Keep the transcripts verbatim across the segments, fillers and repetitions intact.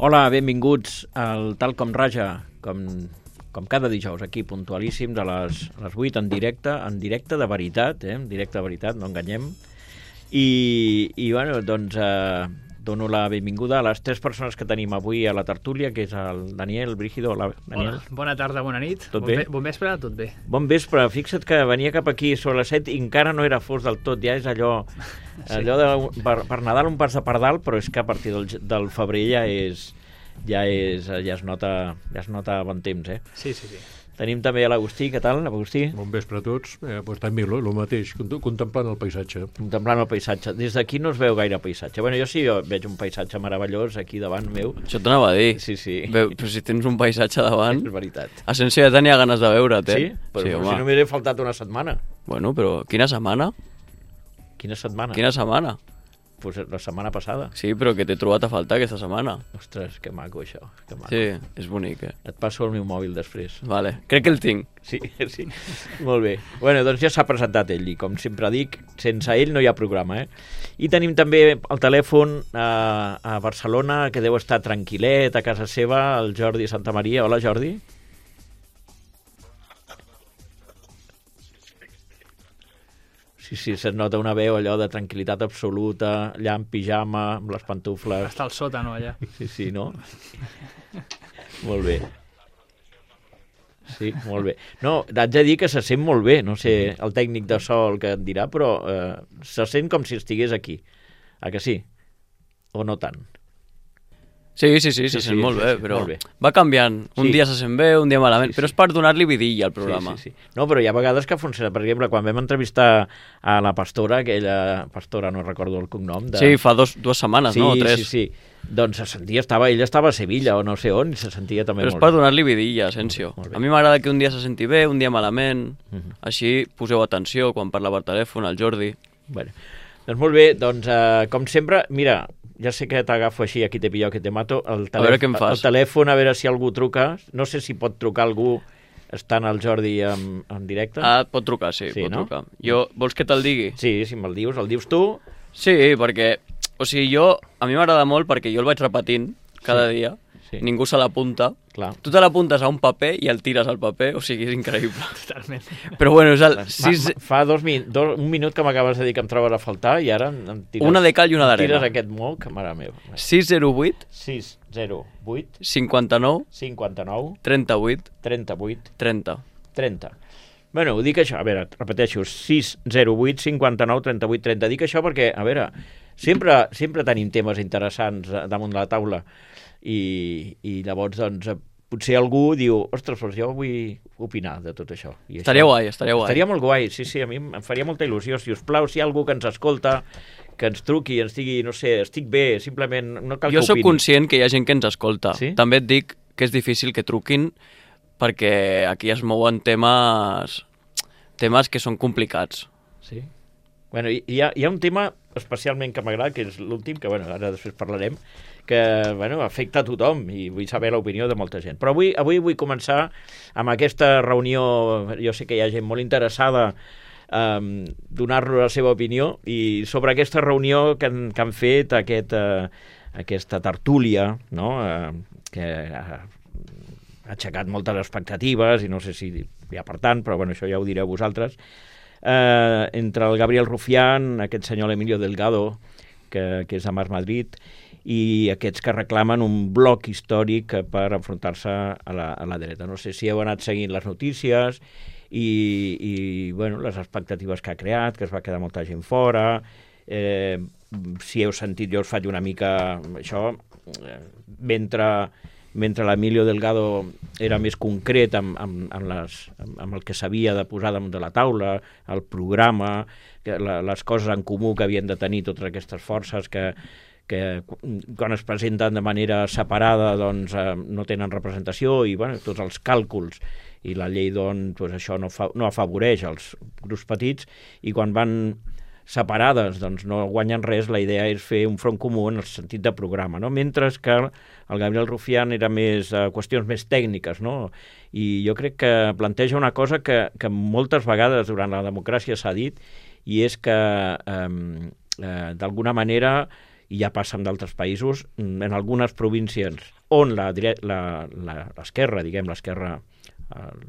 Hola, benvinguts al Tal Com Raja, com, com cada dijous, aquí puntualíssims a les, a les vuit en directe, en directe de veritat, eh? En directe de veritat, no enganyem. I, i bueno, doncs eh, dono la benvinguda a les tres persones que tenim avui a la tertúlia, que és el Daniel Brígido. Hola, Daniel. Hola, bona tarda, bona nit. Tot bon bé? Bon vespre, tot bé. Bon vespre. Fixa't que venia cap aquí sobre les set i encara no era fos del tot. Ja és allò, sí. allò de, per, per Nadal un pas de pardal, però és que a partir del, del febrer ja és, ja és, ja es nota, ja es nota bon temps, eh? Sí, sí, sí. Tenim també l'Agustí. Què tal, Agustí? Bon vespre a tots. Eh, pues també el mateix, contemplant el paisatge. Contemplant el paisatge. Des d'aquí no es veu gaire paisatge. Bueno, jo sí jo veig un paisatge meravellós aquí davant meu. Això t'anava a dir. Sí, sí. Veu, però si tens un paisatge davant... És veritat. Asensio ja tenia ganes de veure't, eh? Sí? Però, sí, però home. si no m'he faltat una setmana. Bueno, però quina setmana? Quina setmana? Quina setmana? Pues la setmana passada. Sí, però que t'he trobat a faltar aquesta setmana. Ostres, que maco això. Que maco. Sí, és bonic, eh? Et passo el meu mòbil després. Vale, crec que el tinc. Sí, sí. Molt bé. Bueno, doncs ja s'ha presentat ell i com sempre dic, sense ell no hi ha programa, eh? I tenim també al telèfon a, a Barcelona, que deu estar tranquil·let a casa seva, el Jordi Santamaria. Hola, Jordi. Sí, sí, se't nota una veu allò de tranquil·litat absoluta, allà en pijama, amb les pantufles. Està al sòtano, allà. Sí, sí, no? Molt bé. Sí, molt bé. No, haig de dir que se sent molt bé, no sé, el tècnic de so el que et dirà, però eh, se sent com si estigués aquí. A que sí? O no tant? Sí, sí, sí, se Sí, sent sí, molt sí, bé, sí, però molt bé. va canviant. Un Sí. dia se sent bé, un dia malament, Sí, sí. però és per donar-li vidilla al programa. Sí, sí, sí. No, però hi ha vegades que funciona. Per exemple, quan vam entrevistar a la pastora, aquella pastora, no recordo el cognom. De... Sí, fa dos, dues setmanes, sí, no? O tres. Sí, sí, doncs se sentia, estava, ella estava a Sevilla o no sé on, i se sentia també Però és molt per bé. donar-li vidilla, Asensio. Molt bé. A mi m'agrada que un dia se senti bé, un dia malament. Mhm. Així poseu atenció quan parla per telèfon, al Jordi. Bueno, doncs molt bé, doncs eh, com sempre, mira, ja sé que t'agafo així, aquí te pillo, que te mato, el, A veure què em fas. el telèfon, a veure si algú truca, no sé si pot trucar algú estant el Jordi en, en directe. Ah, pot trucar, sí, Sí, pot no? trucar. Jo, vols que te'l digui? Sí, si me'l dius, el dius tu. Sí, perquè, o sigui, jo, a mi m'agrada molt perquè jo el vaig repetint cada Sí, dia, sí. ningú se l'apunta. Clar. Tu te l'apuntes a un paper i el tires al paper, o sigui, és increïble. Totalment. Però bueno, és el Ma, sis... ma, fa dos, min, dos, un minut que m'acabes de dir que em trobes a faltar i ara em tires, Una de cal i una em d'arena. tires aquest mot, que mare meva. sis zero vuit sis zero vuit cinquanta-nou cinquanta-nou trenta-vuit trenta-vuit trenta. trenta. Bueno, ho dic això, a veure, repeteixo, sis zero vuit cinquanta-nou trenta-vuit trenta. Dic això perquè, a veure, sempre, sempre tenim temes interessants damunt de la taula i, i llavors, doncs, potser algú diu, ostres, doncs jo vull opinar de tot això. I Estaria això, guai, estaria guai. Estaria molt guai, sí, sí, a mi em faria molta il·lusió. Si us plau, si hi ha algú que ens escolta, que ens truqui, ens digui, no sé, estic bé, simplement no cal Jo que sóc opini. conscient que hi ha gent que ens escolta. Sí? També et dic que és difícil que truquin perquè aquí es mouen temes temes que són complicats. Sí. Bueno, hi, hi, ha, hi ha un tema especialment que m'agrada, que és l'últim, que bueno, ara després parlarem, que bueno, afecta a tothom i vull saber l'opinió de molta gent. Però avui, avui vull començar amb aquesta reunió, jo sé que hi ha gent molt interessada um, donar-nos la seva opinió, i sobre aquesta reunió que han, que han fet, aquest, uh, aquesta tertúlia, no? uh, que uh, ha aixecat moltes expectatives, i no sé si hi ha per tant, però bueno, això ja ho direu vosaltres, eh, entre el Gabriel Rufián, aquest senyor Emilio Delgado, que, que és de Mas Madrid, i aquests que reclamen un bloc històric per enfrontar-se a la, a la dreta. No sé si heu anat seguint les notícies i, i bueno, les expectatives que ha creat, que es va quedar molta gent fora, eh, si heu sentit, jo us faig una mica això, eh, mentre... mentre l'Emilio Delgado era més concret amb, amb, amb, les, amb el que s'havia de posar damunt de la taula, el programa, que la, les coses en comú que havien de tenir totes aquestes forces que, que quan es presenten de manera separada doncs, eh, no tenen representació, i bueno, tots els càlculs i la llei doncs, doncs això no, fa, no afavoreix els grups petits, i quan van separades doncs no guanyen res. La idea és fer un front comú en el sentit de programa, no? Mentre que el Gabriel Rufián era més eh, qüestions més tècniques, no? I jo crec que planteja una cosa que, que moltes vegades durant la democràcia s'ha dit, i és que eh, eh, d'alguna manera i ja passa en d'altres països, en algunes províncies on la dire- la- la- l'esquerra, diguem, l'esquerra el,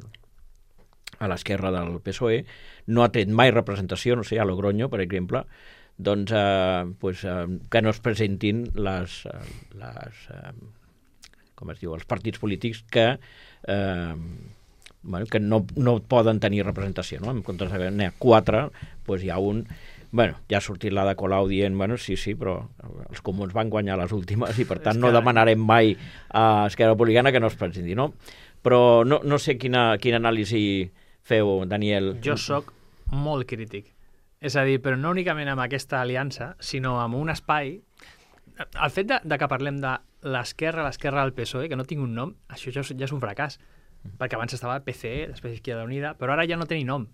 a l'esquerra del P S O E, no ha tret mai representació, no sé, a Logroño, per exemple, doncs eh, pues, eh, que no es presentin les, eh, les eh, com es diu, els partits polítics que eh, bueno, que no, no poden tenir representació, no? En comptes de n'hi ha quatre, doncs hi ha un. Bueno, ja ha sortit la de Colau dient, bueno, sí, sí, però els comuns van guanyar les últimes i per tant no demanarem mai a Esquerra Republicana que no es presenti, no? Però no, no sé quina, quina anàlisi feu, Daniel. Jo sóc molt crític. És a dir, però no únicament amb aquesta aliança, sinó amb un espai. El fet de, de que parlem de l'esquerra, l'esquerra del P S O E, que no tinc un nom, això ja, ja és un fracàs. Perquè abans estava P C E, després Izquierda Unida, però ara ja no té ni nom.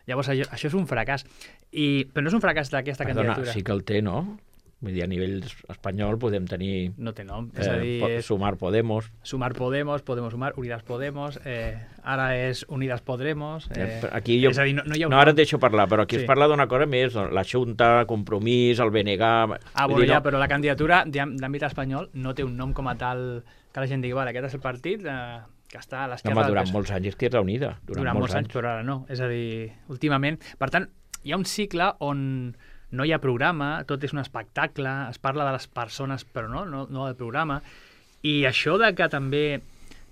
Llavors, això, això és un fracàs. I, però no és un fracàs d'aquesta candidatura. Sí que el té, no? Vull dir, a nivell espanyol podem tenir... No té nom. Eh, És a dir... Sumar Podemos. Sumar Podemos, Podemos Sumar, Unidas Podemos, eh, ara és Unidas Podremos... Eh, aquí jo, és a dir, no, no hi ha un no, ara nom. et deixo parlar, però aquí Sí. es parla d'una cosa més, la Junta, Compromís, el B N G... Ah, vull bueno, dir, ja, no, però la candidatura d'àm- d'àmbit espanyol no té un nom com a tal que la gent digui, vale, aquest és el partit eh, que està a no, l'esquerra home, del durant P S O E. molts anys Izquierda Unida. Durant, Durant molts anys, però ara no. És a dir, últimament... Per tant, hi ha un cicle on no hi ha programa, tot és un espectacle, es parla de les persones, però no, no, no del programa. I això de que també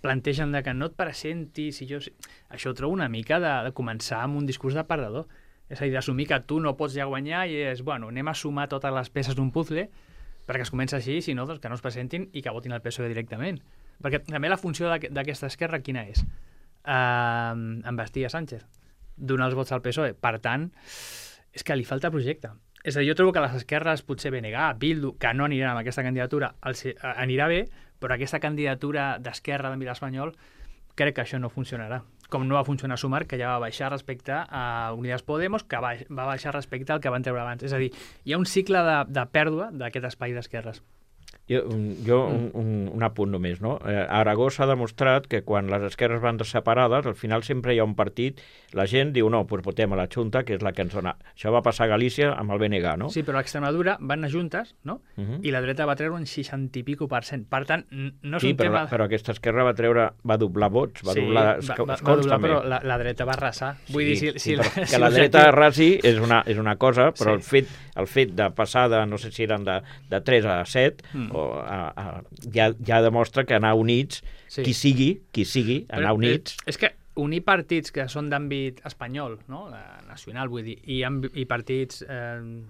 plantegen de que no et presentis, i jo... això ho trobo una mica de, de començar amb un discurs de perdedor. És a dir, d'assumir que tu no pots ja guanyar i és, bueno, anem a sumar totes les peces d'un puzzle perquè es comença així, si no, doncs que no es presentin i que votin el P S O E directament. Perquè també la funció d'aqu- d'aquesta esquerra quina és? Uh, embestir a Sánchez, donar els vots al P S O E. Per tant, és que li falta projecte. És a dir, jo trobo que les esquerres, potser B N G, Bildu, que no aniran amb aquesta candidatura, els, anirà bé, però aquesta candidatura d'esquerra d'àmbit espanyol, crec que això no funcionarà. Com no va funcionar Sumar, que ja va baixar respecte a Unidas Podemos, que va, va baixar respecte al que van treure abans. És a dir, hi ha un cicle de, de pèrdua d'aquest espai d'esquerres. Jo, jo un, un, un apunt només, no? Eh, a Aragó s'ha demostrat que quan les esquerres van separades, al final sempre hi ha un partit, la gent diu, no, doncs votem a la Junta, que és la que ens dona. Això va passar a Galícia amb el B N G, no? Sí, però a Extremadura van anar juntes, no? Uh -huh. I la dreta va treure un seixanta i pico per cent. Per tant, n- no és Sí, un però, tema... la, però aquesta esquerra va treure, va doblar vots, va sí, doblar va, escons va, va doblar, també. però la, la dreta va arrasar. Vull dir, si, si, sí, però que si la l'objectiu- dreta arrasi és una, és una cosa, però Sí. el, fet, el fet de passar de, no sé si eren de, de tres a set, Mm. o a, a, ja, ja demostra que anar units, Sí. qui sigui, qui sigui, anar Però units... És, és que unir partits que són d'àmbit espanyol, no? La nacional, vull dir, i, amb, i partits eh,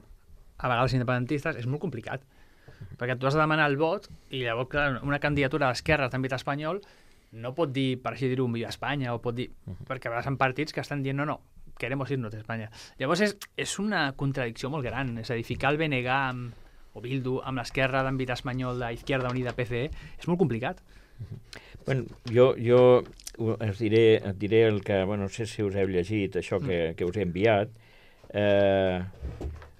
a vegades independentistes, és molt complicat. Perquè tu has de demanar el vot i llavors clar, una candidatura d'esquerres d'àmbit espanyol no pot dir, per així dir-ho, un Viva Espanya, o pot dir... Perquè a vegades hi ha partits que estan dient no, no, queremos irnos de Espanya. Llavors és, és una contradicció molt gran. És a dir, ficar el B N G amb, o Bildu amb l'esquerra d'àmbit espanyol d'Izquierda Unida P C E és molt complicat. Bueno, jo, jo us diré, et diré el que... Bueno, no sé si us heu llegit això que, que us he enviat. Eh,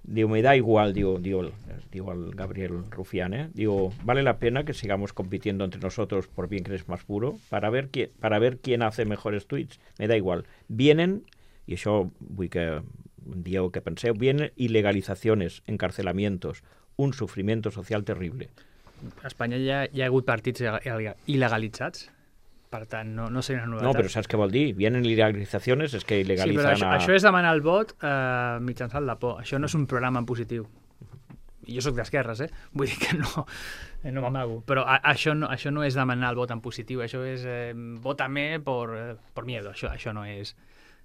diu, me da igual, diu, diu, el, diu el Gabriel Rufián, ¿eh? Diu, vale la pena que sigamos compitiendo entre nosotros por bien que eres más puro para ver, qui, para ver quién hace mejores tweets. Me da igual. Vienen, i això vull que dieu que penseu, vienen ilegalizaciones, encarcelamientos, un sufrimiento social terrible. A Espanya ja hi ha hagut partits il- il·legalitzats, per tant, no, no seria una novetat. No, però saps què vol dir? Vienen ilegalizaciones, és que sí, però ilegalitzan això, a... això és demanar el vot eh, mitjançant la por. Això no és un programa en positiu. I jo sóc d'esquerres, eh? Vull dir que no, eh, no m'amago. Però a, això, no, això no és demanar el vot en positiu, això és eh, vótame por, eh, por miedo. Això, això no és...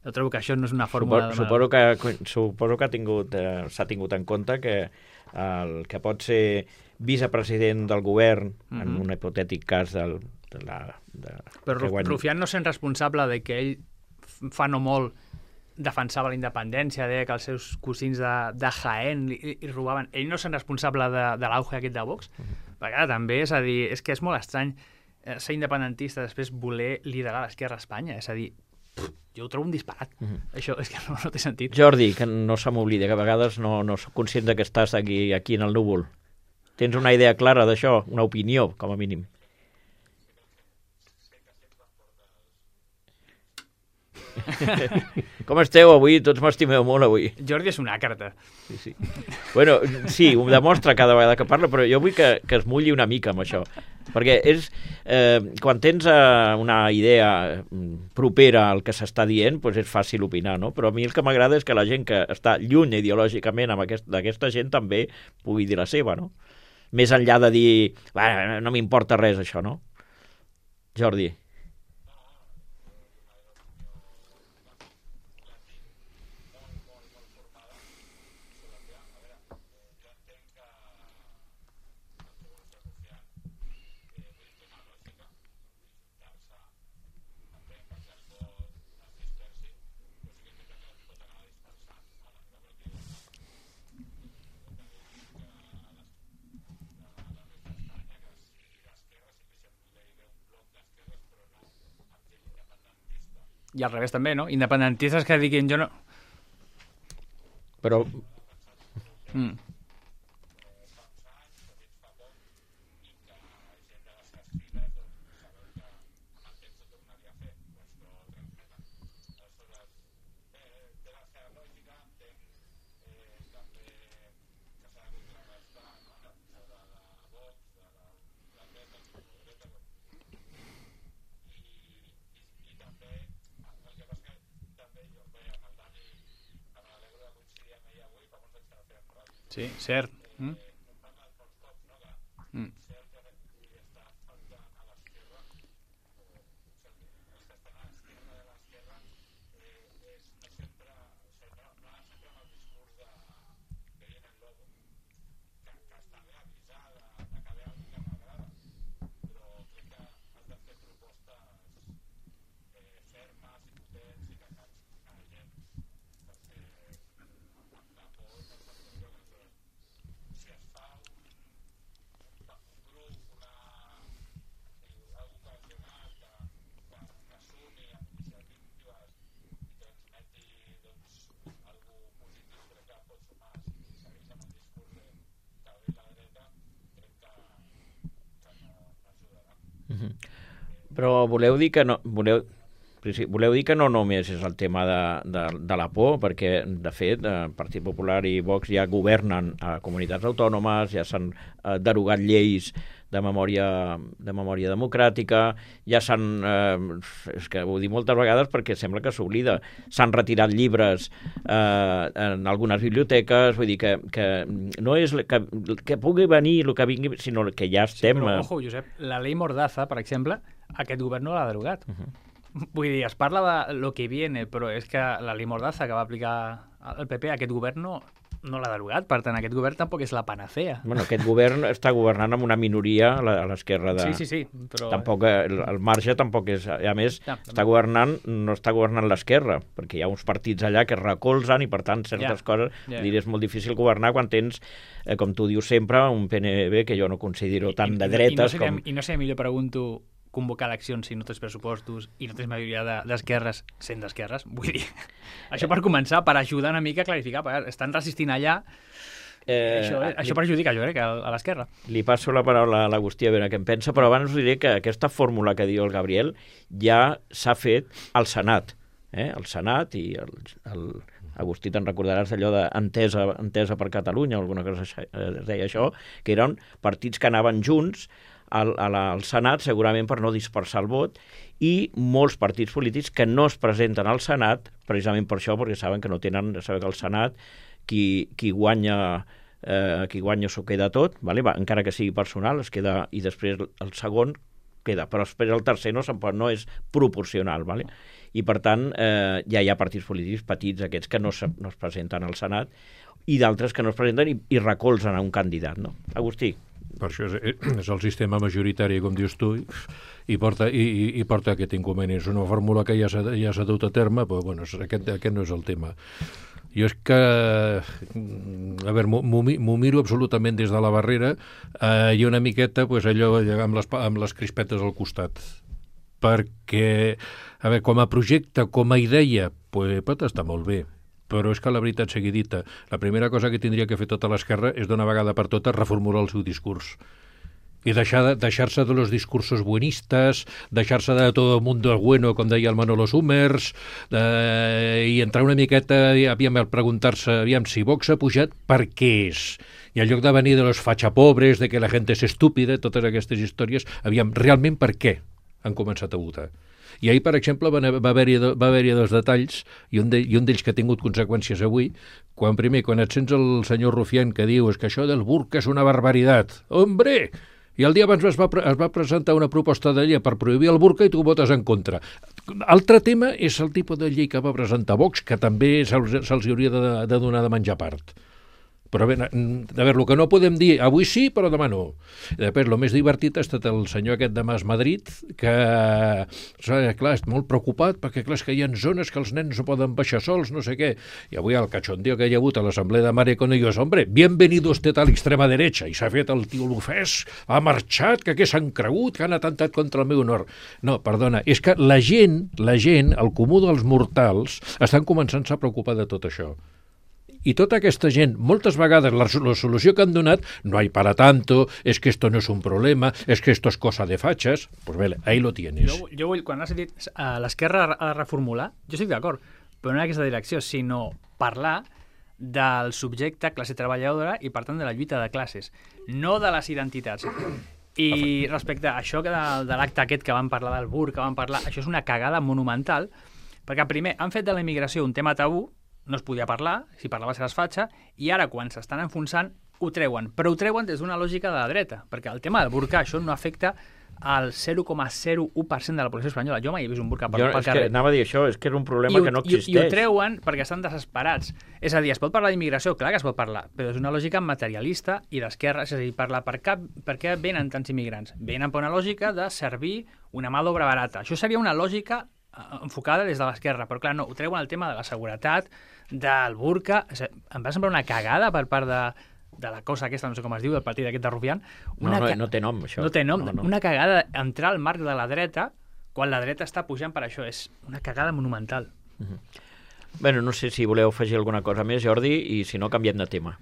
Jo trobo que això no és una fórmula... Supo, suposo que, suposo que ha tingut, eh, s'ha tingut en compte que el que pot ser vicepresident del govern, mm -hmm. en un hipotètic cas del, de la... De, Però que guany... Rufián no sent responsable de que ell fa no molt defensava la independència, deia que els seus cosins de, de Jaén li, li robaven. Ell no sent responsable de, de l'auge aquest de Vox? Uh -huh. Perquè ara també, és a dir, és que és molt estrany eh, ser independentista després voler liderar l'esquerra a Espanya. És a dir, pff, jo ho trobo un disparat. Uh -huh. Això és que no, no té sentit. Jordi, que no se m'oblida, que a vegades no, no soc conscient de que estàs aquí, aquí en el núvol. Tens una idea clara d'això? Una opinió, com a mínim? Com esteu avui? Tots m'estimeu molt avui. Jordi és una carta. Sí, sí. Bueno, sí, ho demostra cada vegada que parla, però jo vull que, que es mulli una mica amb això. Perquè és, eh, quan tens eh, una idea propera al que s'està dient, doncs és fàcil opinar, no? Però a mi el que m'agrada és que la gent que està lluny ideològicament aquest, d'aquesta gent també pugui dir la seva, no? Més enllà de dir, no m'importa res això, no? Jordi. I al revés també, no? Independentistes que diguin jo no... Però... Mm. Sí, cert. Mm? Mm. Però voleu dir que no... Voleu, sí, voleu dir que no només és el tema de, de, de la por, perquè, de fet, el Partit Popular i Vox ja governen a comunitats autònomes, ja s'han eh, derogat lleis de memòria, de memòria democràtica, ja s'han... Eh, és que ho dic moltes vegades perquè sembla que s'oblida. S'han retirat llibres eh, en algunes biblioteques, vull dir que, que no és que, que pugui venir el que vingui, sinó que ja estem... Sí, però, ojo, Josep, la llei Mordaza, per exemple, aquest govern no l'ha derogat. Uh -huh. Vull dir, es parla de lo que viene, però és que la llei Mordaza que va aplicar el P P, aquest govern no, no l'ha derogat, per tant, aquest govern tampoc és la panacea. Bueno, aquest govern està governant amb una minoria a l'esquerra de... Sí, sí, sí, però... Tampoc, el, el marge tampoc és... A més, ja, està governant, no està governant l'esquerra, perquè hi ha uns partits allà que recolzen i, per tant, certes ja, coses... Ja. Dir, és molt difícil governar quan tens, eh, com tu dius sempre, un P N B que jo no considero I, tan de dretes i no seria, com... I no sé, millor pregunto... convocar eleccions si no tens pressupostos i no tens majoria d'esquerres de, sent d'esquerres, vull dir, això per començar, per ajudar una mica a clarificar, perquè estan resistint allà, eh, això, eh, li, això perjudica, jo crec, a, a l'esquerra. Li passo la paraula a l'Agustí a veure què en pensa, però abans us diré que aquesta fórmula que diu el Gabriel ja s'ha fet al Senat, eh? El Senat i el, el Agustí, te'n recordaràs allò d'entesa entesa per Catalunya, alguna cosa es deia això, que eren partits que anaven junts al, al Senat, segurament per no dispersar el vot, i molts partits polítics que no es presenten al Senat, precisament per això, perquè saben que no tenen, saben que al Senat qui, qui guanya eh, qui guanya s'ho queda tot, vale? Va, encara que sigui personal, es queda, i després el segon queda, però després el tercer no, no és proporcional, vale? I per tant eh, ja hi ha partits polítics petits, aquests que no, se, no es presenten al Senat, i d'altres que no es presenten i, i recolzen a un candidat, no? Agustí. Per això és, és el sistema majoritari, com dius tu, i, i, porta, i, i porta aquest inconvenient. És una fórmula que ja s'ha ja s'ha dut a terme, però bueno, aquest, aquest no és el tema. Jo és que, a veure, m'ho miro absolutament des de la barrera eh, i una miqueta pues, allò amb les, amb les crispetes al costat. Perquè, a veure, com a projecte, com a idea, pues, pot estar molt bé. Però és que la veritat sigui dita, la primera cosa que tindria que fer tota l'esquerra és d'una vegada per totes reformular el seu discurs. Y deixar, deixar-se de los discursos buenistas, deixar-se de todo el mundo bueno, com deia el Manolo Summers, de, i entrar una miqueta, aviam, al preguntar-se, aviam, si Vox ha pujat, per què és? I en lloc de venir de los fachapobres, de que la gent és estúpida, totes aquestes històries, aviam, realment per què han començat a votar? I ahir, per exemple, va haver-hi va haver dos detalls, i un d'ells de, que ha tingut conseqüències avui, quan primer, quan et sents el senyor Rufián que diu és que això del burca és una barbaritat. Hombre! I el dia abans es va, es va presentar una proposta de llei per prohibir el burca i tu votes en contra. Altre tema és el tipus de llei que va presentar Vox, que també se'ls se hauria de, de donar de menjar part. Però bé, a veure, el que no podem dir, avui sí, però demà no. I després, el més divertit ha estat el senyor aquest de Mas Madrid, que, clar, és molt preocupat, perquè, clar, és que hi ha zones que els nens no poden baixar sols, no sé què. I avui el cachondeo que hi ha hagut a l'assemblea de Mare con ellos, hombre, bienvenido usted a l'extrema derecha, i s'ha fet el tio l'ofès, ha marxat, que què s'han cregut, que han atentat contra el meu honor. No, perdona, és que la gent, la gent, el comú dels mortals, estan començant-se a preocupar de tot això. I tota aquesta gent, moltes vegades la, la solució que han donat, no hay para tanto, es que esto no es un problema, es que esto es cosa de fachas, pues bé, ahí lo tienes. Jo, jo vull, quan has dit uh, l'esquerra ha de reformular, jo estic d'acord, però no en aquesta direcció, sinó parlar del subjecte classe treballadora i, per tant, de la lluita de classes, no de les identitats. I respecte a això que de, de l'acte aquest que van parlar del burca, que van parlar, això és una cagada monumental, perquè primer han fet de la immigració un tema tabú, no es podia parlar, si parlava se les fatxa, i ara, quan s'estan enfonsant, ho treuen. Però ho treuen des d'una lògica de la dreta, perquè el tema del burca, això no afecta al zero coma zero u per cent de la població espanyola. Jo mai he vist un burca pel, jo, pel carrer. Que anava a dir això, és que era un problema I, que no i, existeix. I ho treuen perquè estan desesperats. És a dir, es pot parlar d'immigració? Clar que es pot parlar, però és una lògica materialista i d'esquerra, és a dir, parlar per, cap, per què venen tants immigrants? Venen per una lògica de servir una mà d'obra barata. Això seria una lògica enfocada des de l'esquerra, però clar, no, ho treuen el tema de la seguretat, del burca, em va semblar una cagada per part de, de la cosa aquesta, no sé com es diu, del partit aquest de Rufián. No, no, no té nom, això. No té nom, no, no. Una cagada entrar al marc de la dreta quan la dreta està pujant per això, és una cagada monumental. Uh-huh. Bueno, no sé si voleu afegir alguna cosa més, Jordi, i si no, canviem de tema.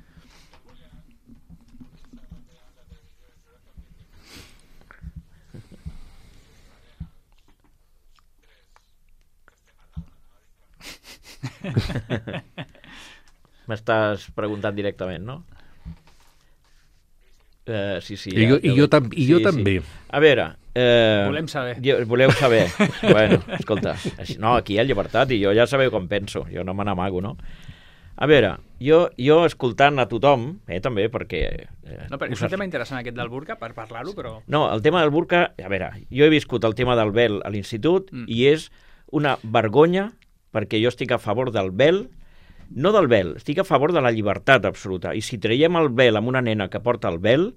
M'estàs preguntant directament, no? Uh, sí, sí. I ja, jo, i jo, tam i jo sí, també. Sí. A veure... Eh, volem saber. Jo, voleu saber. Bueno, escolta, no, aquí hi ha llibertat i jo ja sabeu com penso, jo no me n'amago, no? A veure, jo, jo escoltant a tothom, eh, també, perquè... Eh, no, però és un tema interessant aquest del burca, per parlar-ho, però... No, el tema del burca, a veure, jo he viscut el tema del vel a l'institut mm. i és una vergonya, perquè jo estic a favor del vel, no del vel, estic a favor de la llibertat absoluta. I si traiem el vel amb una nena que porta el vel,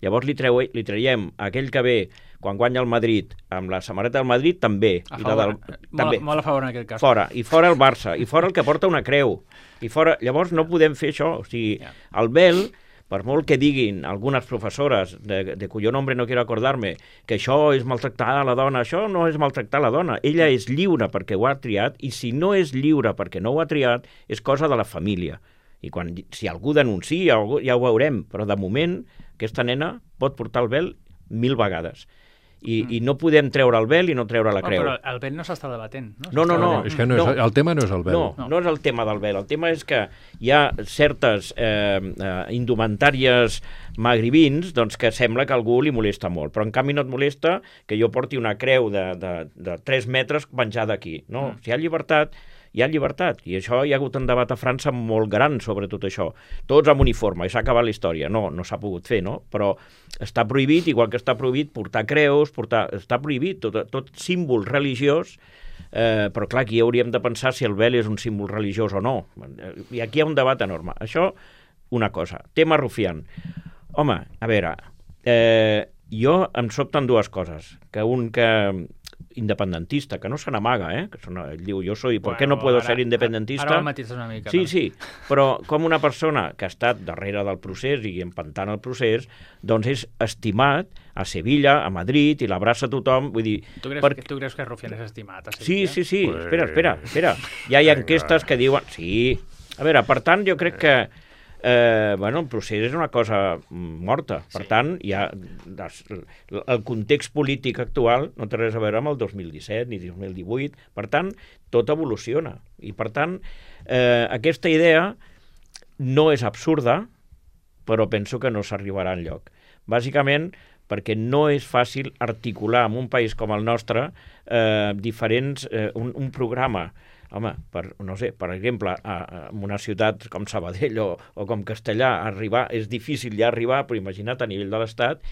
llavors li, treu, li traiem aquell que ve quan guanya el Madrid amb la samarreta del Madrid, també. A I favor, la del, molt, també. Molt a favor en aquest cas. Fora, i fora el Barça, i fora el que porta una creu. I fora, llavors no podem fer això. O sigui, yeah. el vel, per molt que diguin algunes professores, de, de cuyo nombre no quiero acordarme, que això és maltractar a la dona, això no és maltractar a la dona. Ella és lliure perquè ho ha triat, i si no és lliure perquè no ho ha triat, és cosa de la família. I quan, si algú denuncia, ja ho veurem, però de moment aquesta nena pot portar el vel mil vegades. I, mm. i no podem treure el vel i no treure la creu. Oh, però el vel no s'està debatent. No, no, no, no, és que no és, no. El tema no és el vel. No, no, no és el tema del vel. El tema és que hi ha certes eh, eh, indumentàries magribins doncs, que sembla que a algú li molesta molt, però en canvi no et molesta que jo porti una creu de, de, de tres metres penjada aquí. No? Mm. Si hi ha llibertat, hi ha llibertat, i això hi ha hagut un debat a França molt gran sobre tot això. Tots amb uniforme, i s'ha acabat la història. No, no s'ha pogut fer, no? Però està prohibit, igual que està prohibit portar creus, portar... està prohibit tot, tot símbol religiós, eh, però clar, aquí hauríem de pensar si el vel és un símbol religiós o no. I aquí hi ha un debat enorme. Això, una cosa. Tema Rufián. Home, a veure, eh, jo em sobten dues coses. Que un que... independentista, que no se n'amaga, eh? Que són, ell diu, jo soy, ¿por qué no puedo ser independentista? Ara el matitzes una mica. Sí, no? sí, però com una persona que ha estat darrere del procés i empantant el procés, doncs és estimat a Sevilla, a Madrid, i l'abraça tothom, vull dir... Tu creus, per... que, tu creus que Rufián és estimat a Sí, Sevilla? sí, sí, pues... espera, espera, espera. Ja hi ha enquestes que diuen... Sí, a veure, per tant, jo crec que eh, bueno, el procés és una cosa morta. Per sí. tant, hi ha, el context polític actual no té res a veure amb el dos mil disset ni dos mil divuit. Per tant, tot evoluciona. I, per tant, eh, aquesta idea no és absurda, però penso que no s'arribarà enlloc. Bàsicament, perquè no és fàcil articular en un país com el nostre eh, diferents, eh, un, un programa. Home, per, no sé, per exemple, a, a, en una ciutat com Sabadell o, o com Castellà, arribar, és difícil ja arribar, però imagina't a nivell de l'Estat,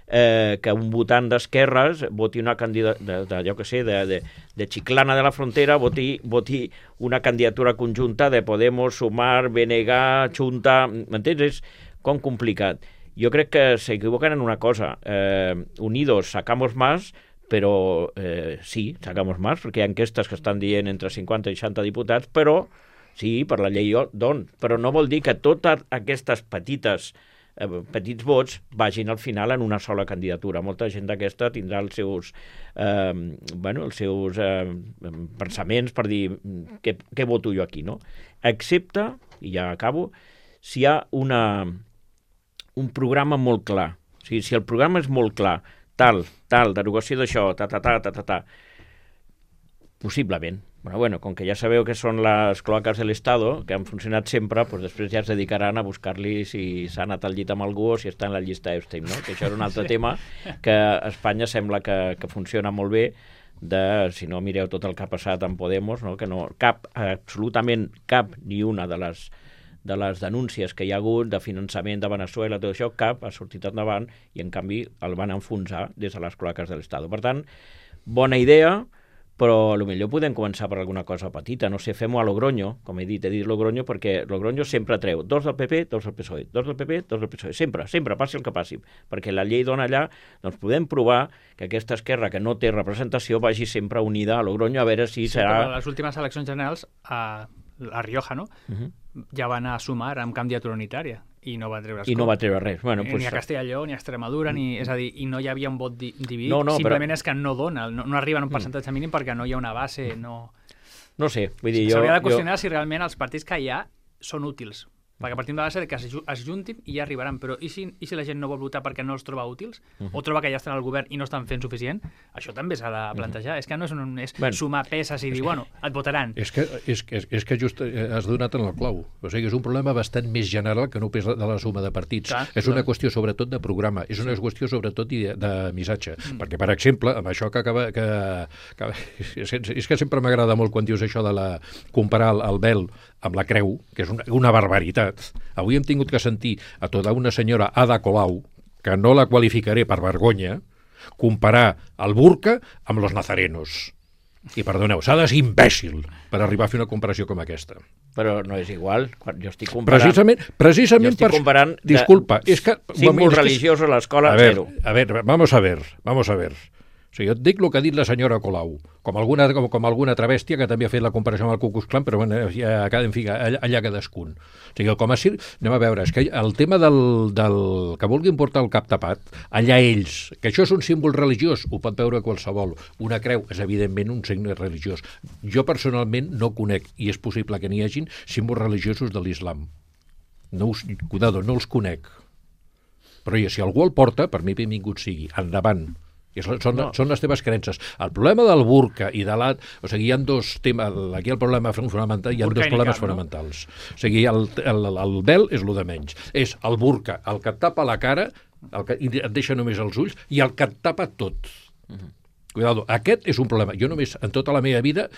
eh, que un votant d'esquerres voti una candidatura, de, de, jo què sé, de, de, de Chiclana de la Frontera, voti, voti una candidatura conjunta de Podemos, Sumar, B N G, Junta, m'entens? És com complicat. Jo crec que s'equivoquen en una cosa. Eh, unidos sacamos más, però eh, sí, sacamos más, perquè hi ha enquestes que estan dient entre cinquanta i seixanta diputats, però sí, per la llei d'on. Però no vol dir que totes aquestes petites eh, petits vots vagin al final en una sola candidatura. Molta gent d'aquesta tindrà els seus, eh, bueno, els seus eh, pensaments per dir què, què voto jo aquí, no? Excepte, i ja acabo, si hi ha una, un programa molt clar. O sigui, si el programa és molt clar, tal, tal, derogació d'això, ta, ta, ta, ta, ta, ta, possiblement. Bueno, bueno, com que ja sabeu que són les cloaques de l'Estado, que han funcionat sempre, doncs després ja es dedicaran a buscar-li si s'ha anat al llit amb algú o si està en la llista Epstein, no? Que això és un altre sí. tema que a Espanya sembla que, que funciona molt bé, de, si no mireu tot el que ha passat amb Podemos, no? Que no, cap, absolutament cap ni una de les de les denúncies que hi ha hagut de finançament de Venezuela, tot això, cap ha sortit endavant i, en canvi, el van enfonsar des de les cloaques de l'Estat. Per tant, bona idea, però potser podem començar per alguna cosa petita. No sé, fem-ho a Logroño, com he dit, he dit Logroño perquè Logroño sempre treu dos del P P, dos del P S O E, dos del P P, dos del P S O E, sempre, sempre, passi el que passi, perquè la llei dona allà, doncs podem provar que aquesta esquerra que no té representació vagi sempre unida a Logroño, a veure si sí, serà... Les últimes eleccions generals a, a Rioja, no? Uh-huh. Ja van a sumar amb candidatura unitària i no va treure I no va treure res. Bueno, ni, pues... ni a Castelló, ni a Extremadura, ni, és a dir, i no hi havia un vot di dividit, no, no, simplement però... és que no dona, no, no arriba en un percentatge mínim perquè no hi ha una base, no... No sé, vull dir, jo... S'hauria de qüestionar jo... si realment els partits que hi ha són útils, perquè partim de la base que es, es juntin i ja arribaran, però i si, i si la gent no vol votar perquè no els troba útils, uh -huh. o troba que ja estan al govern i no estan fent suficient, això també s'ha de plantejar. Uh -huh. És que no és, un, és bueno, sumar peces i dir, bueno, et votaran. És que, és, és, és que just has donat en el clau. O sigui, és un problema bastant més general que no pes de la suma de partits. Clar, és una clar. qüestió sobretot de programa, és una sí. qüestió sobretot de, de missatge. Mm. Perquè, per exemple, amb això que acaba... Que, que, és que sempre m'agrada molt quan dius això de la, comparar el, el vel amb la creu, que és una, una barbaritat. Avui hem tingut que sentir a tota una senyora Ada Colau, que no la qualificaré per vergonya, comparar el burca amb los nazarenos. I perdoneu, s'ha de ser imbècil per arribar a fer una comparació com aquesta. Però no és igual, quan jo estic comparant... Precisament, precisament jo estic comparant... Per... Disculpa, és que... Símbol religiós a l'escola, zero. A ver, vamos a ver, vamos a ver. O sigui, jo et dic el que ha dit la senyora Colau, com alguna, com, com alguna altra bèstia que també ha fet la comparació amb el Ku Klux Klan, però bueno, ja, en fi, allà, allà cadascun. O sigui, com a cir... anem a veure, és que el tema del, del que vulguin portar el cap tapat, allà ells, que això és un símbol religiós, ho pot veure qualsevol. Una creu és, evidentment, un signe religiós. Jo, personalment, no conec, i és possible que n'hi hagin, símbols religiosos de l'islam. No us, cuidado, no els conec. Però ja, si algú el porta, per mi benvingut sigui. Endavant. I són, no. són les teves creences. El problema del burca i de l'at... O sigui, hi ha dos temes... Aquí el problema fonamental, hi ha dos problemes cap, fonamentals. No? O sigui, el, el, el vel és el de menys. És el burca, el que et tapa la cara, el que et deixa només els ulls, i el que et tapa tot. Uh -huh. Cuidado, aquest és un problema. Jo només, en tota la meva vida,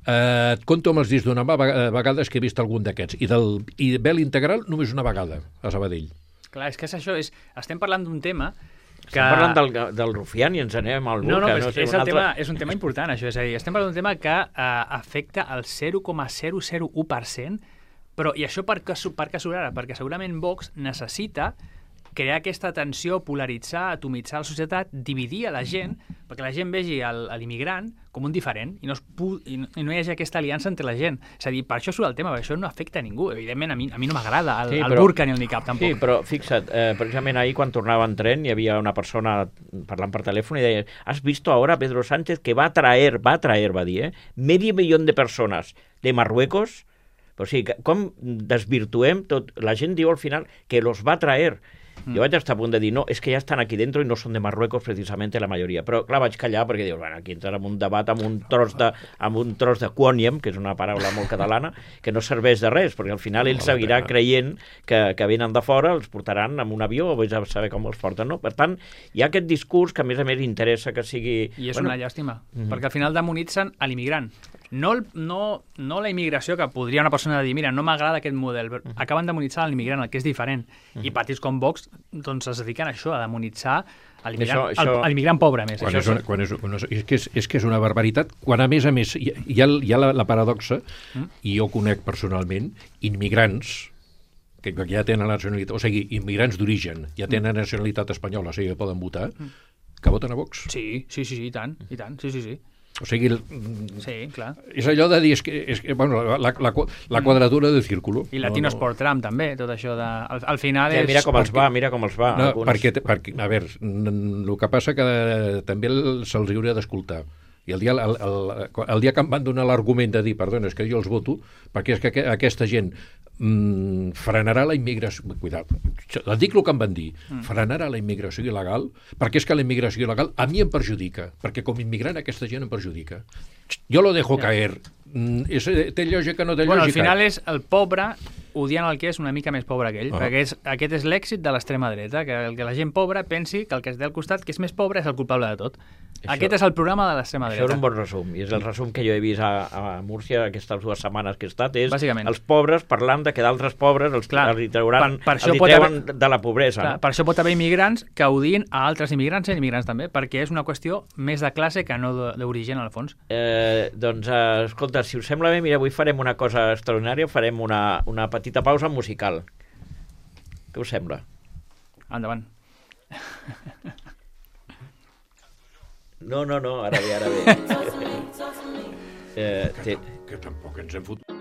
eh, et conto amb els dits d'una mà vegades que he vist algun d'aquests. I del i vel integral només una vegada, a Sabadell. Clar, és que és això. És, estem parlant d'un tema... Que... Estem parlant del, del rufián i ens anem al burca. No, no, és, no sé, és, un el altre... tema, és un tema important, això. És a dir, estem parlant d'un tema que eh, afecta el zero coma zero zero u per cent, però, i això per què, per què surt ara? Perquè segurament Vox necessita crear aquesta tensió, polaritzar, atomitzar la societat, dividir a la gent, perquè la gent vegi l'immigrant com un diferent i no, es pu i, no, i no hi hagi aquesta aliança entre la gent. És a dir, per això surt el tema, perquè això no afecta a ningú. Evidentment, a mi, a mi no m'agrada el, sí, el burca ni el niqab, tampoc. Sí, però fixa't, eh, precisament ahir quan tornava en tren hi havia una persona parlant per telèfon i deia, has visto ahora Pedro Sánchez que va a traer, va a traer, va dir, eh, medio millón de personas de Marruecos Però, o sigui, que, com desvirtuem tot? La gent diu al final que los va traer. Mm. Jo vaig estar a punt de dir, no, és que ja estan aquí dentro i no són de Marruecos precisament la majoria. Però, clar, vaig callar perquè dius, bueno, aquí entra en un debat amb un tros de, amb un tros de quòniam, que és una paraula molt catalana, que no serveix de res, perquè al final ell seguirà creient que, que venen de fora, els portaran amb un avió o vés a saber com els porten, no? Per tant, hi ha aquest discurs que a més a més interessa que sigui... I és bueno, una llàstima, mm-hmm. perquè al final demonitzen a l'immigrant. No, el, no, no la immigració, que podria una persona dir, mira, no m'agrada aquest model, mm-hmm. acaben demonitzant l'immigrant, el que és diferent. Mm-hmm. I partits com Vox doncs es dediquen a això, a demonitzar l'immigrant, això, això... l'immigrant pobre, més. Quan això és, una, quan és, una, és, que és, és que és una barbaritat, quan a més a més hi, hi ha, hi ha la, la paradoxa, mm. i jo conec personalment, immigrants que ja tenen la nacionalitat, o sigui, immigrants d'origen, ja tenen mm. nacionalitat espanyola, o sigui, poden votar, mm. que voten a Vox. Sí, sí, sí, i tant, i tant, sí, sí, sí. O sigui, sí, clar. És allò de dir, és que, és que bueno, la, la, la quadratura del círculo. I Latinos no, no. por Trump, també, tot això de... Al, al final ja, és... Mira com els va, mira com els va. No, perquè, perquè, a veure, el que passa que també se'ls hauria d'escoltar. I el dia, el, el, el dia que em van donar l'argument de dir, perdona, és que jo els voto, perquè és que aquesta gent mm, frenarà la immigració... Cuidado, et dic el que em van dir. Mm. Frenarà la immigració il·legal, perquè és que la immigració il·legal a mi em perjudica, perquè com a immigrant aquesta gent em perjudica. Jo lo dejo ja. caer. Mm, és, té lògica, no té bueno, lògica? Al final és el pobre odiant el que és una mica més pobre que ell, ah. perquè és, aquest és l'èxit de l'extrema dreta, que, que la gent pobra pensi que el que es té al costat, que és més pobre, és el culpable de tot. Això, aquest és el programa de l'extrema dreta. Això és un bon resum, i és el resum que jo he vist a, a Múrcia aquestes dues setmanes que he estat, és bàsicament els pobres parlant de que d'altres pobres els, clar, els trauran, per, per els treuen haver, de la pobresa. Clar, no? Per això pot haver immigrants que odien a altres immigrants i immigrants també, perquè és una qüestió més de classe que no d'origen, al fons. Eh, doncs, eh, escolta, si us sembla bé, mira, avui farem una cosa extraordinària, farem una, una petita pausa musical. Què us sembla? Endavant. No, no, no, ara bé, ara bé. eh, que, que tampoc ens hem fotut.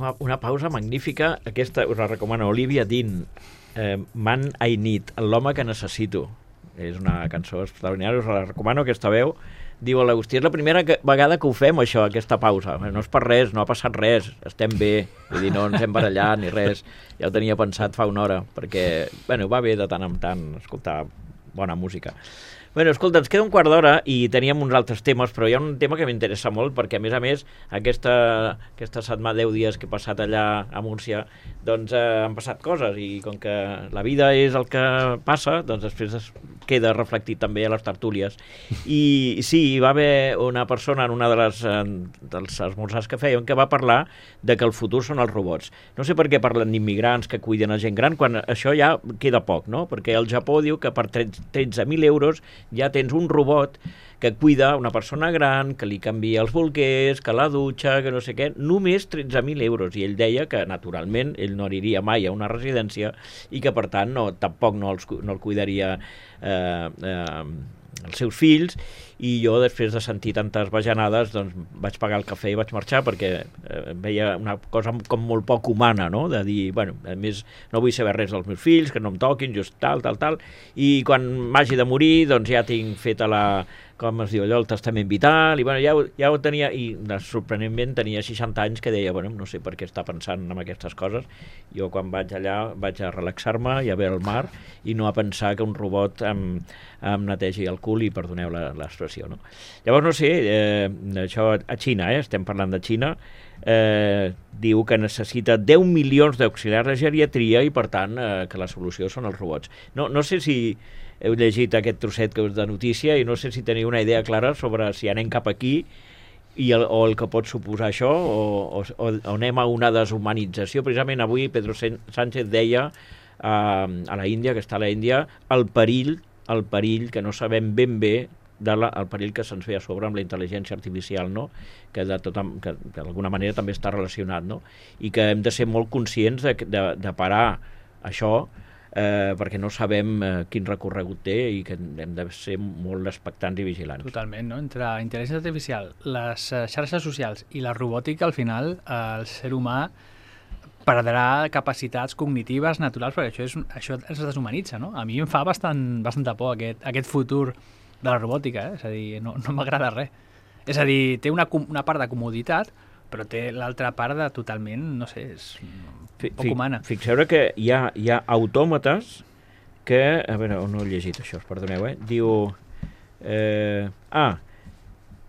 una, una pausa magnífica, aquesta us la recomano, Olivia Dean, eh, Man I Need, l'home que necessito. És una cançó extraordinària, us la recomano, aquesta veu. Diu l'Agustí, és la primera que, vegada que ho fem, això, aquesta pausa. No és per res, no ha passat res, estem bé. Vull dir, no ens hem barallat ni res. Ja ho tenia pensat fa una hora, perquè, bueno, va bé de tant en tant escoltar bona música. Bueno, escolta, ens queda un quart d'hora i teníem uns altres temes, però hi ha un tema que m'interessa molt, perquè, a més a més, aquesta, aquesta setmana, deu dies que he passat allà a Múrcia, doncs eh, han passat coses, i com que la vida és el que passa, doncs després es queda reflectit també a les tertúlies. I sí, hi va haver una persona en una de les, eh, dels esmorzars que fèiem que va parlar de que el futur són els robots. No sé per què parlen d'immigrants que cuiden a gent gran, quan això ja queda poc, no? Perquè el Japó diu que per tretze mil euros ja tens un robot que cuida una persona gran, que li canvia els bolquers, que la dutxa, que no sé què, només tretze mil euros. I ell deia que, naturalment, ell no aniria mai a una residència i que, per tant, no, tampoc no, els, no el cuidaria eh, eh, els seus fills, i jo, després de sentir tantes bajanades, doncs vaig pagar el cafè i vaig marxar, perquè eh, veia una cosa com molt poc humana, no?, de dir, bueno, a més, no vull saber res dels meus fills, que no em toquin, just tal, tal, tal, i quan m'hagi de morir, doncs ja tinc feta la, com es diu allò, el testament vital, i bueno, ja, ja ho tenia, i sorprenentment tenia seixanta anys, que deia, bueno, no sé per què està pensant en aquestes coses. Jo quan vaig allà vaig a relaxar-me i a veure el mar, i no a pensar que un robot em, em netegi el cul, i perdoneu l'expressió, no? Llavors, no sé, eh, això a Xina, eh, estem parlant de Xina, eh, diu que necessita deu milions d'auxiliars de geriatria i, per tant, eh, que la solució són els robots. No, no sé si heu llegit aquest trosset que us de notícia i no sé si teniu una idea clara sobre si anem cap aquí i el, o el que pot suposar això, o, o, o anem a una deshumanització. Precisament avui Pedro Sánchez deia eh, a la Índia, que està a la Índia, el perill, el perill que no sabem ben bé, de la, el perill que se'ns ve a sobre amb la intel·ligència artificial, no? que, de tota, que d'alguna manera també està relacionat, no? I que hem de ser molt conscients de, de, de parar això, Eh, perquè no sabem eh, quin recorregut té i que hem de ser molt expectants i vigilants. Totalment, no? Entre intel·ligència artificial, les eh, xarxes socials i la robòtica, al final, eh, el ser humà perdrà capacitats cognitives naturals, perquè això, és, això ens deshumanitza, no? A mi em fa bastant, bastanta por aquest, aquest futur de la robòtica, eh? És a dir, no, no m'agrada res. És a dir, té una, una part de comoditat, però té l'altra part de totalment, no sé, és poc humana. Fixeu que hi ha, hi ha autòmates que, a veure, no he llegit això, perdoneu, eh? Diu, eh, ah,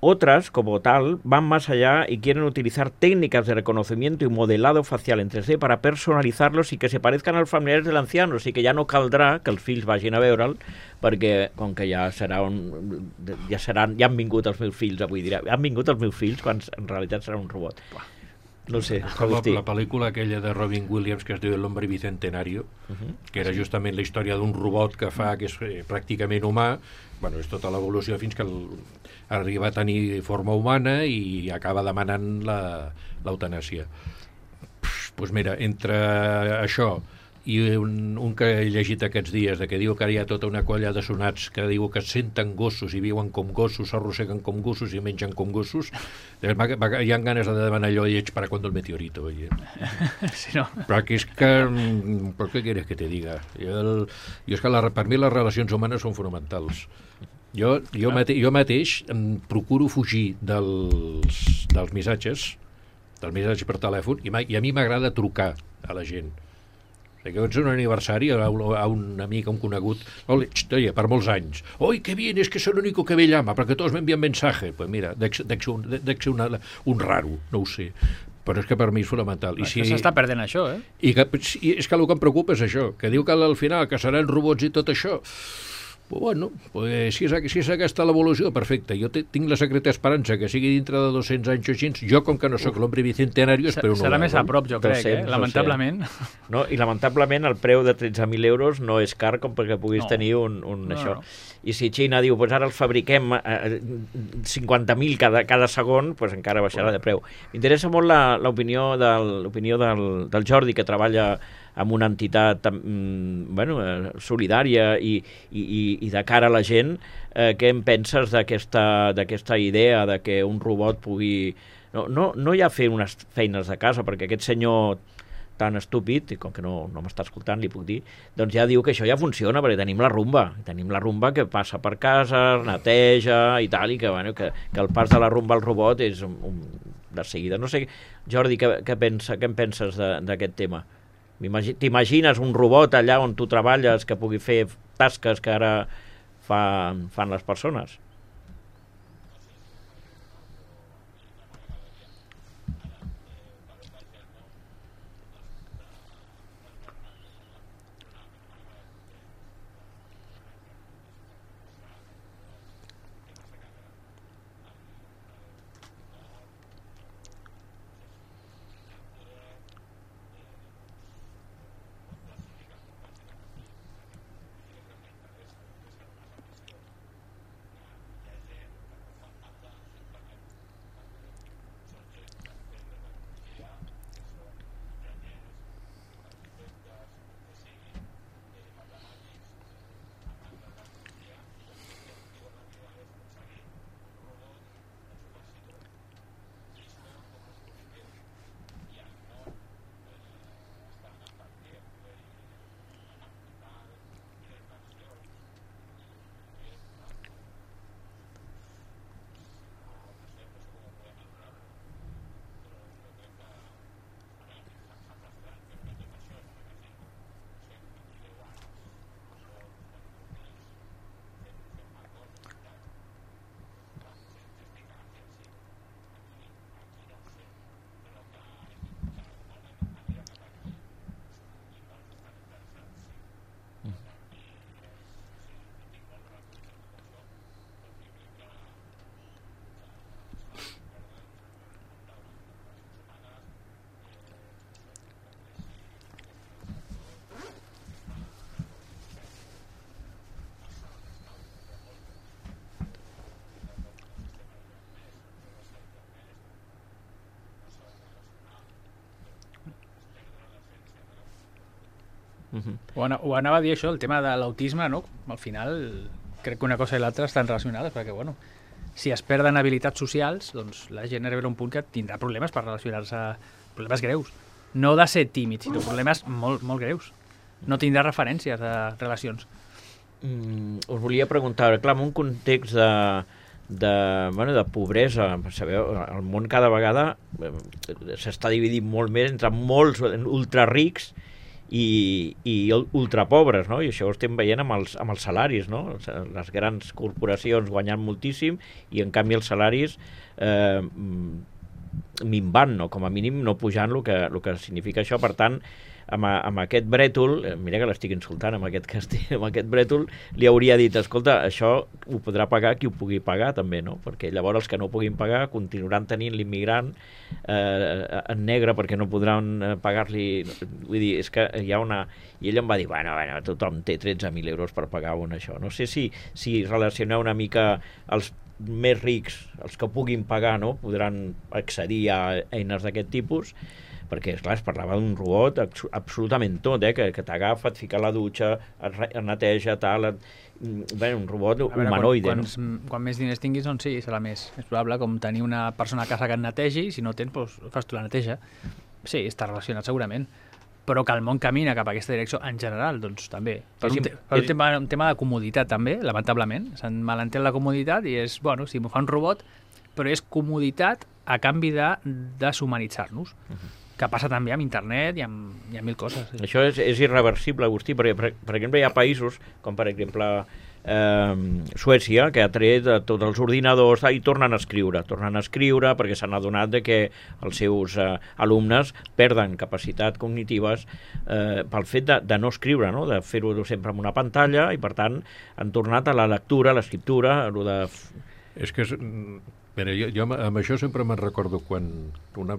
otras, como tal, van más allá y quieren utilizar técnicas de reconocimiento y modelado facial en tres D para personalizarlos y que se parezcan als familiars de l'anciano, o sigui que ja no caldrà que els fills vagin a veure'l, perquè com que ja serà un, ja seran, ja han vingut els meus fills avui, dirà, han vingut els meus fills quan en realitat serà un robot. No sé, la, la pel·lícula aquella de Robin Williams que es diu El hombre bicentenario, uh -huh. que era justament la història d'un robot que fa, que és eh, pràcticament humà, bueno, és tota l'evolució fins que el, arriba a tenir forma humana i acaba demanant l'eutanàsia. Doncs pues mira, entre això i un, un que he llegit aquests dies, de que diu que hi ha tota una colla de sonats que diu que es senten gossos i viuen com gossos, s'arrosseguen com gossos i mengen com gossos, hi ha ganes de demanar allò i ets para cuando el meteorito. Oye. Sí, no. Però que és que... ¿Por qué quieres que te diga? Jo, el, jo és que la, per mi les relacions humanes són fonamentals. Jo, jo, mate, jo mateix em procuro fugir dels, dels missatges, dels missatges per telèfon, i, i a mi m'agrada trucar a la gent. Que ets un aniversari a un, a un amic, a un conegut, oye, per molts anys, oi, que bien, es que es el único que me llama, perquè tots m'envien mensaje. Pues mira, dec ser un, un, un raro, no ho sé, però és que per mi és fonamental. I si... s'està perdent això, eh? I, que, i és que el que em preocupa és això, que diu que al final que seran robots i tot això. Pues bueno, pues si, és, si és aquesta l'evolució, perfecte. Jo te, tinc la secreta esperança que sigui dintre de dos-cents anys o així. Jo, com que no sóc l'hombre bicentenario, espero no. Serà més a prop, jo crec, eh? Lamentablement. No, i lamentablement el preu de tretze mil euros no és car com perquè puguis no. tenir un, un no, això. No. I si Xina diu, pues ara els fabriquem eh, cinquanta mil cada, cada segon, pues encara baixarà de preu. M'interessa molt l'opinió del, del, del Jordi, que treballa amb una entitat mm, bueno, eh, solidària i, i, i de cara a la gent. Eh, què en penses d'aquesta idea de que un robot pugui no, no, no ja fer unes feines de casa, perquè aquest senyor tan estúpid, i com que no, no m'està escoltant, li puc dir, doncs ja diu que això ja funciona, perquè tenim la rumba, tenim la rumba que passa per casa, neteja i tal, i que, bueno, que, que el pas de la rumba al robot és un, un, de seguida. No sé, Jordi, què, què, pensa, què en penses d'aquest tema? T'imagines un robot allà on tu treballes que pugui fer tasques que ara fa, fan les persones? Uh-huh. Ho, ana ho anava a dir això, el tema de l'autisme, no? Al final crec que una cosa i l'altra estan relacionades, perquè bueno, si es perden habilitats socials, doncs la gent arribarà a un punt que tindrà problemes per relacionar-se, problemes greus. No de ser tímid, sinó problemes molt, molt greus. No tindrà referències a relacions. Mm, us volia preguntar, clar, en un context de, de, bueno, de pobresa, sabeu, el món cada vegada s'està dividint molt més entre molts ultrarics i, i ultrapobres, no? I això ho estem veient amb els, amb els salaris, no? Les grans corporacions guanyant moltíssim i en canvi els salaris eh, minvant, no? Com a mínim no pujant el que, el que significa això. Per tant, amb, amb aquest brètol, mira que l'estic insultant, amb aquest, castell, amb aquest brètol, li hauria dit, escolta, això ho podrà pagar qui ho pugui pagar també, no? Perquè llavors els que no puguin pagar continuaran tenint l'immigrant eh, en negre perquè no podran pagar-li. Vull dir, és que hi ha una... I ell em va dir, bueno, bueno, tothom té tretze mil euros per pagar un això. No sé si, si relacioneu una mica els més rics, els que puguin pagar, no? Podran accedir a eines d'aquest tipus, perquè, esclar, es parlava d'un robot absolutament tot, eh? que, que t'agafa, et fica a la dutxa, et, et neteja, tal... Et... Bé, un robot veure, humanoide. Quan, quants, no? Quan més diners tinguis, doncs sí, serà més. És probable com tenir una persona a casa que et netegi, si no tens, doncs fas tu la neteja. Sí, està relacionat segurament. Però que el món camina cap a aquesta direcció en general, doncs també. Per un, te per un, tema, un tema de comoditat també, lamentablement. S'han malentès la comoditat i és, bueno, si m'ho fa un robot, però és comoditat a canvi de deshumanitzar-nos. Uh-huh. Que passa també amb internet i amb, i amb mil coses. Sí. Això és, és irreversible, Agustí, perquè, per, per exemple, hi ha països, com per exemple eh, Suècia, que ha tret tots els ordinadors i tornen a escriure, tornen a escriure perquè s'han adonat de que els seus eh, alumnes perden capacitat cognitives eh, pel fet de, de no escriure, no? De fer-ho sempre amb una pantalla, i per tant han tornat a la lectura, a l'escriptura, a lo de... És que... És... Mira, jo, jo amb això sempre me'n recordo quan una,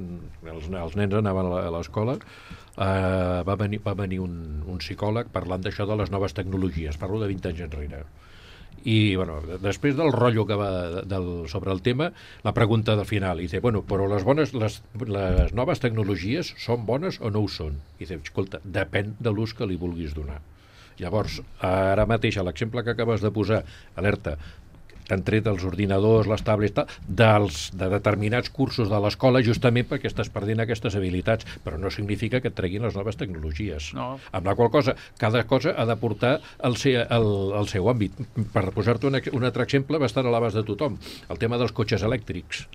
els, els nens anaven a l'escola, eh, va venir, va venir un, un psicòleg parlant d'això de les noves tecnologies, parlo de vint anys enrere. I, bueno, després del rotllo que va del, sobre el tema, la pregunta del final, i dice, bueno, però les, bones, les, les noves tecnologies són bones o no ho són? I dice, escolta, depèn de l'ús que li vulguis donar. Llavors, ara mateix, l'exemple que acabes de posar, alerta, t'han tret els ordinadors, les tablets, tal, dels, de determinats cursos de l'escola justament perquè estàs perdent aquestes habilitats, però no significa que et treguin les noves tecnologies. No. Amb la qual cosa, cada cosa ha de portar el, seu, el, el seu àmbit. Per posar-te un, un altre exemple, va estar a l'abast de tothom, el tema dels cotxes elèctrics.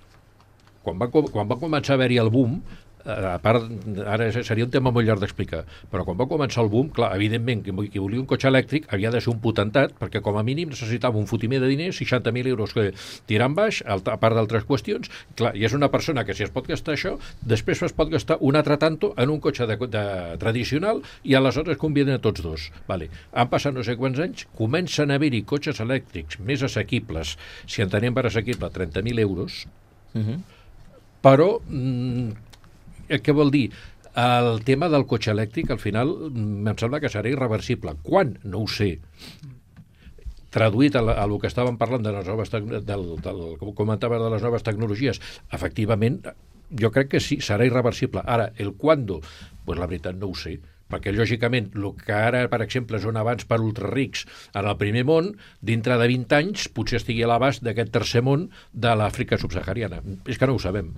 Quan va, quan va començar a haver-hi el boom, a part, ara seria un tema molt llarg d'explicar, però quan va començar el boom, clar, evidentment, qui volia un cotxe elèctric havia de ser un potentat, perquè com a mínim necessitava un fotimer de diners, seixanta mil euros que tirant baix, a part d'altres qüestions, clar, i és una persona que si es pot gastar això, després es pot gastar un altre tanto en un cotxe de, de, tradicional i aleshores conviden a tots dos. Vale. Han passat no sé quants anys, comencen a haver-hi cotxes elèctrics més assequibles, si entenem per assequible trenta mil euros, uh-huh. però mm, què vol dir? El tema del cotxe elèctric, al final, em sembla que serà irreversible. Quan? No ho sé. Traduït a, la, a lo que estàvem parlant de les noves, del, del, com comentava, de les noves tecnologies, efectivament, jo crec que sí, serà irreversible. Ara, el quando? Pues la veritat no ho sé, perquè lògicament el que ara, per exemple, és un avanç per ultrarics en el primer món, dintre de vint anys potser estigui a l'abast d'aquest tercer món de l'Àfrica subsahariana. És que no ho sabem.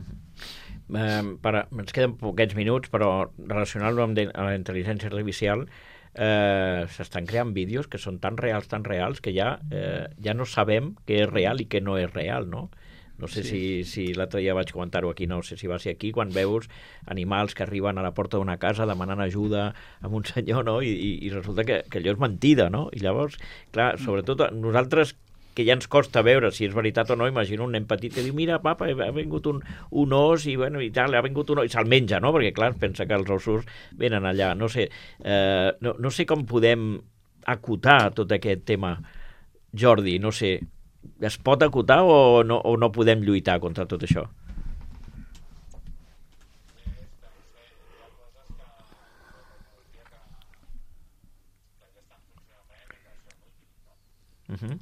Eh, per, ens queden poquets minuts, però relacionant-lo amb de, amb la intel·ligència artificial, eh, s'estan creant vídeos que són tan reals, tan reals, que ja, eh, ja no sabem què és real i què no és real, no? No sé sí. si, si l'altre dia vaig comentar-ho aquí, no sé si va ser aquí, quan veus animals que arriben a la porta d'una casa demanant ajuda a un senyor, no? I, i, i resulta que, que allò és mentida, no? I llavors, clar, sobretot nosaltres, que ja ens costa veure si és veritat o no, imagino un nen petit que diu, mira, papa, ha vingut un, un os i, bueno, i tal, ha vingut un os, i se'l menja, no? Perquè, clar, pensa que els ossos venen allà. No sé, eh, no, no sé com podem acotar tot aquest tema, Jordi, no sé, es pot acotar o no, o no podem lluitar contra tot això? Uh-huh.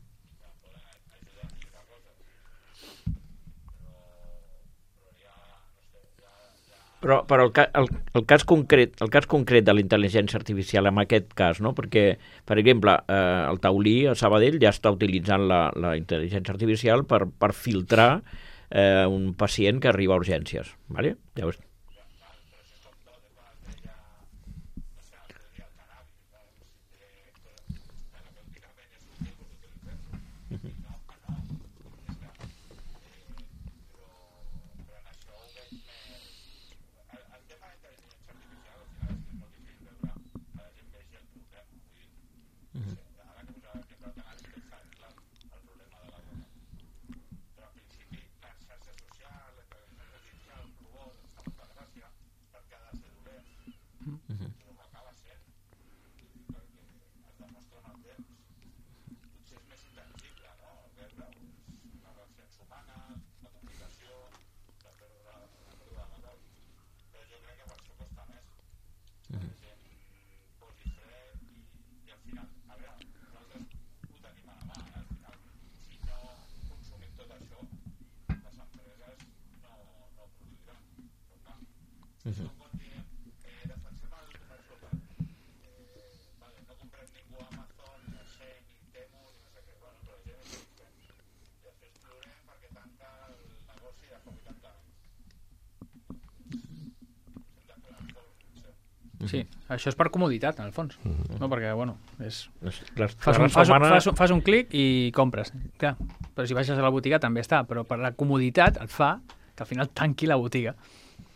Però, però el, ca, el, el, cas concret, el cas concret de la intel·ligència artificial en aquest cas, no? Perquè, per exemple, eh, el taulí a Sabadell ja està utilitzant la, la intel·ligència artificial per, per filtrar eh, un pacient que arriba a urgències. ¿Vale? Ja ho... Uh-huh. Sí, això és per comoditat, en el fons. Uh-huh. No? Perquè, bueno, és... Les, fas, un, fas, setmana... fas, un, fas un clic i compres. Clar, però si baixes a la botiga també està, però per la comoditat et fa que al final tanqui la botiga.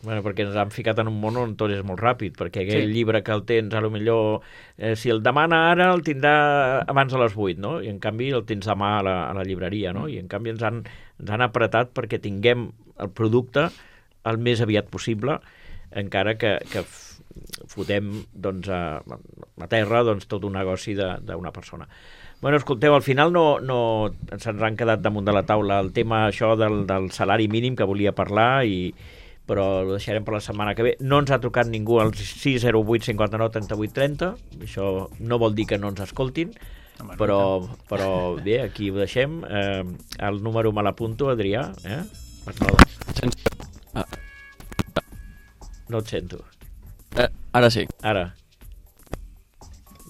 Bueno, perquè ens han ficat en un món on tot és molt ràpid, perquè aquell sí. llibre que el tens, a lo millor, eh, si el demana ara, el tindrà abans de les vuit, no? I en canvi el tens demà a la, a la llibreria, no? I en canvi ens han, ens han apretat perquè tinguem el producte el més aviat possible, encara que, que fotem doncs, a, a terra doncs, tot un negoci d'una persona. Bueno, escolteu, al final no, no se'ns han quedat damunt de la taula el tema això del, del salari mínim que volia parlar, i però ho deixarem per la setmana que ve. No ens ha trucat ningú al sis zero vuit cinquanta-nou trenta-vuit trenta, això no vol dir que no ens escoltin, no, però, però bé, aquí ho deixem. Eh, el número me l'apunto, Adrià, eh? No, no et sento. Eh, ara sí. Ara.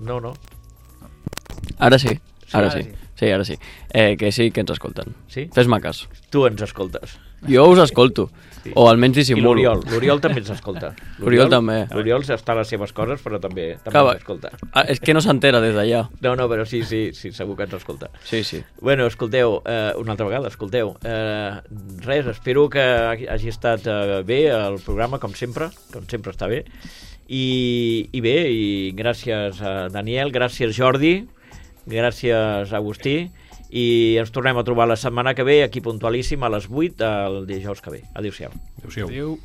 No, no. Ara sí. Ara ara sí. sí. Sí, ara sí. Eh, que sí que ens escolten. Sí? Fes-me cas. Tu ens escoltes. Jo us escolto. Sí. O almenys I dissimulo. l'Oriol. L'Oriol també ens escolta. L'Oriol també. L'Oriol està a les seves coses, però també, també Clar, ens escolta. Ah, és que no s'entera des d'allà. No, no, però sí, sí, sí, segur que ens escolta. Sí, sí. Bueno, escolteu, eh, una altra vegada, escolteu. Eh, res, espero que hagi estat eh, bé el programa, com sempre, com sempre està bé. I, i bé, i gràcies a Daniel, gràcies Jordi, gràcies Agustí, i ens tornem a trobar la setmana que ve aquí puntualíssim a les vuit del dijous que ve. Adéu-siau. Adéu-siau. Adéu.